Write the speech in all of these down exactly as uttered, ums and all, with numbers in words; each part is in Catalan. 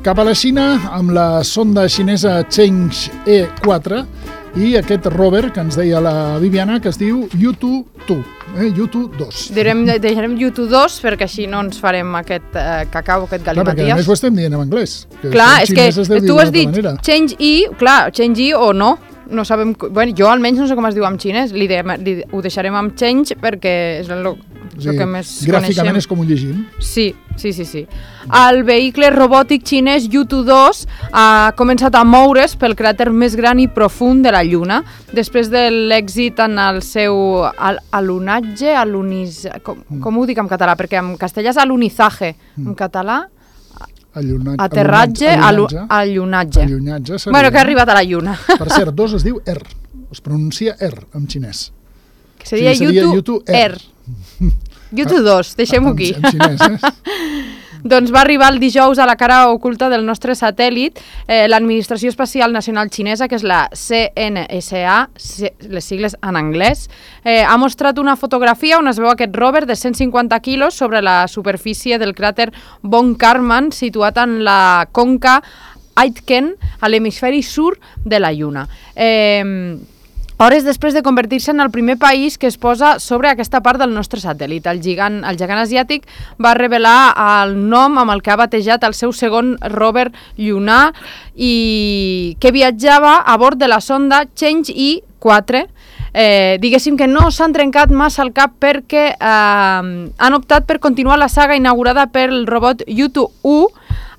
cap a la Xina amb la sonda xinesa Chang'e quatre i aquest rover que ens deia la Viviana que es diu Yutu dos. Eh, Yutu dos. Direm, deixarem Yutu dos perquè així no ens farem aquest eh, cacau, aquest galimaties. Clar, perquè a més ho estem dient en anglès. Que clar, és que tu has dit manera. Chang'e, clar, Chang'e o no. No sabem, bueno, jo almenys no sé com es diu en xinès, li de, li, ho deixarem amb change perquè és el, el sí, que més gràficament coneixem. És com ho llegim. Sí, sí, sí, sí. El vehicle robòtic xinès Yutu dos ha començat a moure's pel cràter més gran i profund de la Lluna, després de l'èxit en el seu al, alunatge, alunis, com, mm. com ho dic en català? Perquè en castellà és alunizaje, mm. en català... Allunatge, aterratge, allunatge. Allunatge. Allunatge seria, bueno, que ha arribat a la Lluna. Per cert, dos es diu Er. Es pronuncia Er en xinès. Que seria, o sigui, seria Yutu Er. Yutu dos, deixem-ho aquí. En, en xinès, eh? Doncs va arribar el dijous a la cara oculta del nostre satèl·lit, eh, l'Administració Espacial Nacional Xinesa, que és la C N S A, les sigles en anglès, eh, ha mostrat una fotografia on es veu aquest rover de cent cinquanta quilos sobre la superfície del cràter Von Karman, situat en la conca Aitken, a l'hemisferi sud de la Lluna. Eh... Hores després de convertir-se en el primer país que es posa sobre aquesta part del nostre satèl·lit. El gegant, el gegant asiàtic va revelar el nom amb el que ha batejat el seu segon rover llunar i que viatjava a bord de la sonda Chang'e quatre. Eh, diguéssim que no s'han trencat massa el cap perquè eh, han optat per continuar la saga inaugurada pel robot Yutu u,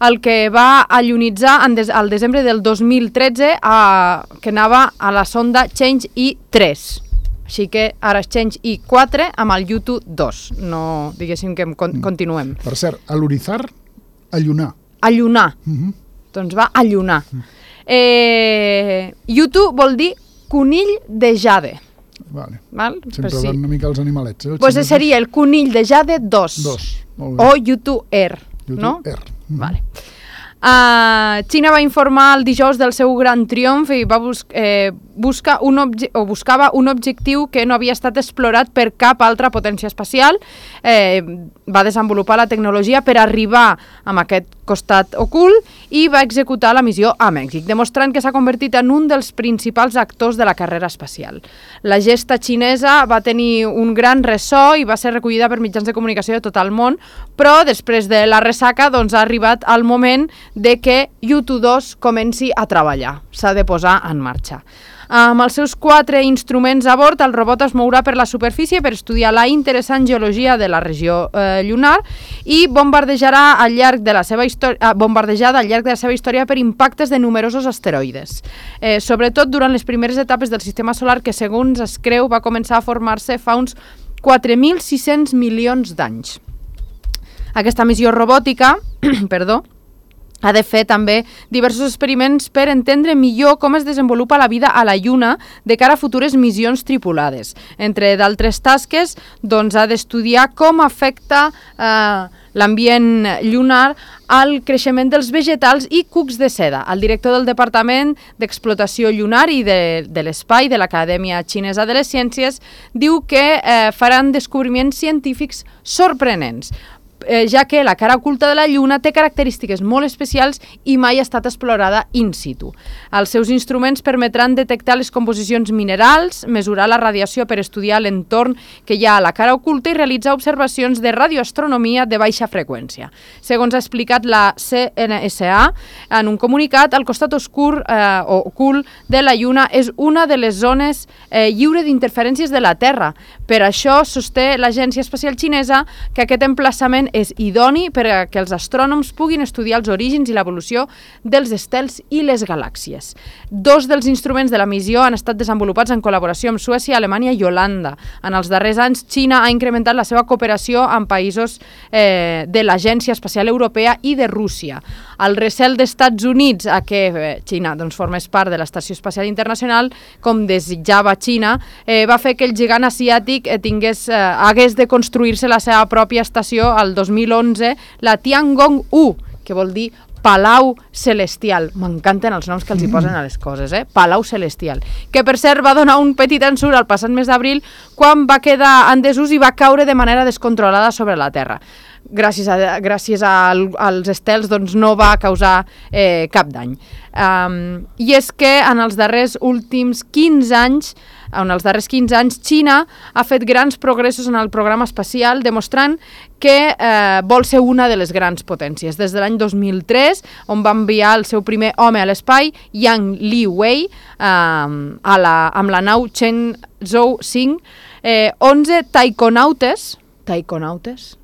el que va alunitzar en des, al desembre del dos mil tretze a, que anava a la sonda Chang'e tres. Així que ara és Chang'e quatre amb el Yutu dos. No, diguéssim que con, continuem. Per cert, alunizar, allunar. Allunar. Uh-huh. Doncs va allunar. Uh-huh. Eh, Yutu vol dir conill de jade. Vale. Val? Sempre pues sí. van una mica els animalets. Eh? Pues seria el conill de jade dos. Dos. Molt bé. O Yutu Er. Yutu no? Er. Mm-hmm. Vale. Uh, Xina va informar el dijous del seu gran triomf i va bus eh, busca un o buscava un objectiu que no havia estat explorat per cap altra potència espacial. Eh, va desenvolupar la tecnologia per arribar amb aquest costat ocult i va executar la missió a Mèxic, demostrant que s'ha convertit en un dels principals actors de la carrera espacial. La gesta xinesa va tenir un gran ressò i va ser recollida per mitjans de comunicació de tot el món, però després de la ressaca doncs, ha arribat el moment de que Yutu dos comenci a treballar. S'ha de posar en marxa. Amb els seus quatre instruments a bord, el robot es mourà per la superfície per estudiar la interessant geologia de la regió eh, lunar i bombardejarà al llarg de la seva història, bombardejada al llarg de la seva història per impactes de numerosos asteroides. Eh, sobretot durant les primeres etapes del sistema solar que, segons es creu, va començar a formar-se fa uns quatre mil sis-cents milions d'anys. Aquesta missió robòtica, perdó, ha de fer també diversos experiments per entendre millor com es desenvolupa la vida a la Lluna de cara a futures missions tripulades. Entre d'altres tasques, doncs, ha d'estudiar com afecta eh, l'ambient lunar al creixement dels vegetals i cucs de seda. El director del Departament d'Explotació Lunar i de, de l'Espai de l'Acadèmia Xinesa de les Ciències diu que eh, faran descobriments científics sorprenents, Eh, ja que la cara oculta de la Lluna té característiques molt especials i mai ha estat explorada in situ. Els seus instruments permetran detectar les composicions minerals, mesurar la radiació per estudiar l'entorn que hi ha a la cara oculta i realitzar observacions de radioastronomia de baixa freqüència. Segons ha explicat la C N S A, en un comunicat, el costat oscur eh, o ocult de la Lluna és una de les zones eh, lliure d'interferències de la Terra. Per això sosté l'Agència Espacial Xinesa que aquest emplaçament és idoni per a que els astrònoms puguin estudiar els orígens i l'evolució dels estels i les galàxies. Dos dels instruments de la missió han estat desenvolupats en col·laboració amb Suècia, Alemanya i Holanda. En els darrers anys, Xina ha incrementat la seva cooperació amb països eh, de l'Agència Espacial Europea i de Rússia. El recel d'Estats Units a que eh, Xina doncs, formés part de l'Estació Espacial Internacional, com desitjava Xina, eh, va fer que el gegant asiàtic eh, tingués, eh, hagués de construir-se la seva pròpia estació al dos mil onze, la Tiangong u, que vol dir Palau Celestial. M'encanten els noms que els hi posen a les coses, eh? Palau Celestial. Que, per cert, va donar un petit ensurt al passat mes d'abril quan va quedar en desús i va caure de manera descontrolada sobre la Terra. gràcies, a, gràcies al, als estels doncs, no va causar eh, cap dany. Um, I és que en els darrers últims quinze anys, en els darrers quinze anys, Xina ha fet grans progressos en el programa espacial, demostrant que eh, vol ser una de les grans potències. Des de l'any dos mil tres, on va enviar el seu primer home a l'espai, Yang Liwei, eh, a la, amb la nau Shenzhou cinc, eh, onze taiconautes, taiconautes,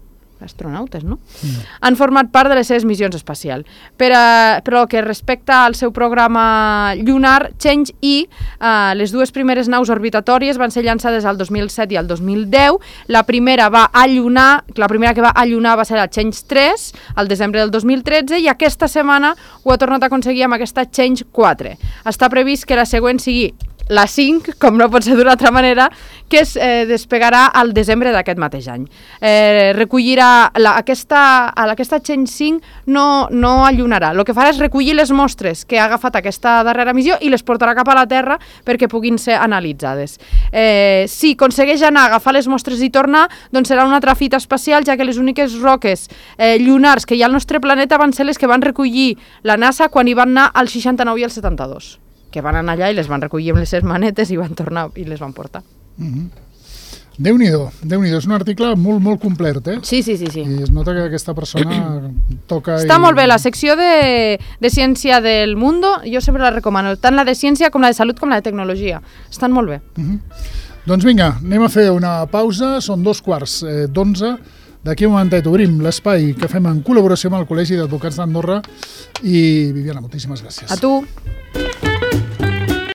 astronautes, no? Mm. Han format part de les seves missions espacials. Per, a, per el que respecta al seu programa lunar, Chang'e, eh, les dues primeres naus orbitatòries van ser llançades al dos mil set i al dos mil deu. La primera va allunar, la primera que va allunar va ser la Chang'e tres, al desembre del dos mil tretze, i aquesta setmana ho ha tornat a aconseguir amb aquesta Chang'e quatre. Està previst que la següent sigui la cinc, com no pot ser d'una altra manera, que es eh, despegarà al desembre d'aquest mateix any. Eh, recollirà, la, aquesta, aquesta Chang'e cinc no, no allunarà. El que farà és recollir les mostres que ha agafat aquesta darrera missió i les portarà cap a la Terra perquè puguin ser analitzades. Eh, si aconsegueix anar a agafar les mostres i tornar, doncs serà una altra fita espacial, ja que les úniques roques eh, lunars que hi ha al nostre planeta van ser les que van recollir la NASA quan hi van anar al seixanta-nou i al setanta-dos. Que van anar allà i les van recollir amb les seves manetes i van tornar i les van portar. Mm-hmm. Déu-n'hi-do, Déu-n'hi-do. És un article molt, molt complet, eh? Sí, sí, sí. sí. I es nota que aquesta persona toca... Està i... molt bé, la secció de, de ciència del Mundo, jo sempre la recomano, tant la de ciència com la de salut com la de tecnologia. Estan molt bé. Mm-hmm. Doncs vinga, anem a fer una pausa, són dos quarts eh, d'onze. D'aquí un momentet obrim l'espai que fem en col·laboració amb el Col·legi d'Advocats d'Andorra i Viviana, moltíssimes gràcies. A tu.